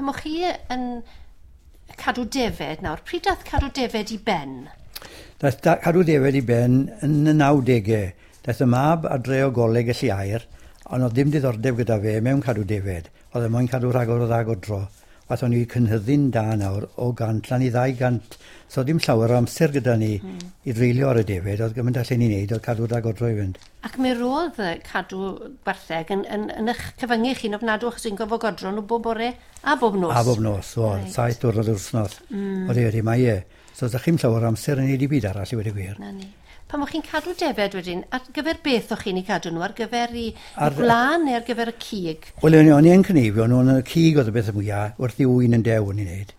Pan o'ch chi yn cadw defed nawr, pryd dath cadw defed i ben? Daeth cadw defed i ben yn y 90au. Daeth y mab adre o goleg y Lliair, ond oedd ddim diddordeb gyda fe mewn cadw defed. Oedd e moyn cadw rhagor o dda godro. Wath o'n i cynhyddu'n da nawr o 100 lan i 200. So dim llawer o amser gyda ni i dreulio ar y defed. Oedd gymaint allan ni'n neud oedd cadw da godro i fynd. Ac mi roedd cadw gwartheg yn eich cyfyngu chi'n ofnadw achos chi'n gofod godro nhw bob bore a bob nos. A bob nos, o, right. 7 diwrnod yr wythnos. Odi, mae e. So ydych chi'n llawer o amser yn neud i byd arall i wedi gwir. Na ni. Pan o'ch chi'n cadw defed wedyn, ar gyfer beth o'ch chi'n ei cadw nhw? Ar gyfer i gwlân neu ar gyfer y cig? Wel, o'n i yn cneifio nhw, ond y cig oedd y beth mwyaf, wrth i ŵyn yn dew o'n i'n neud.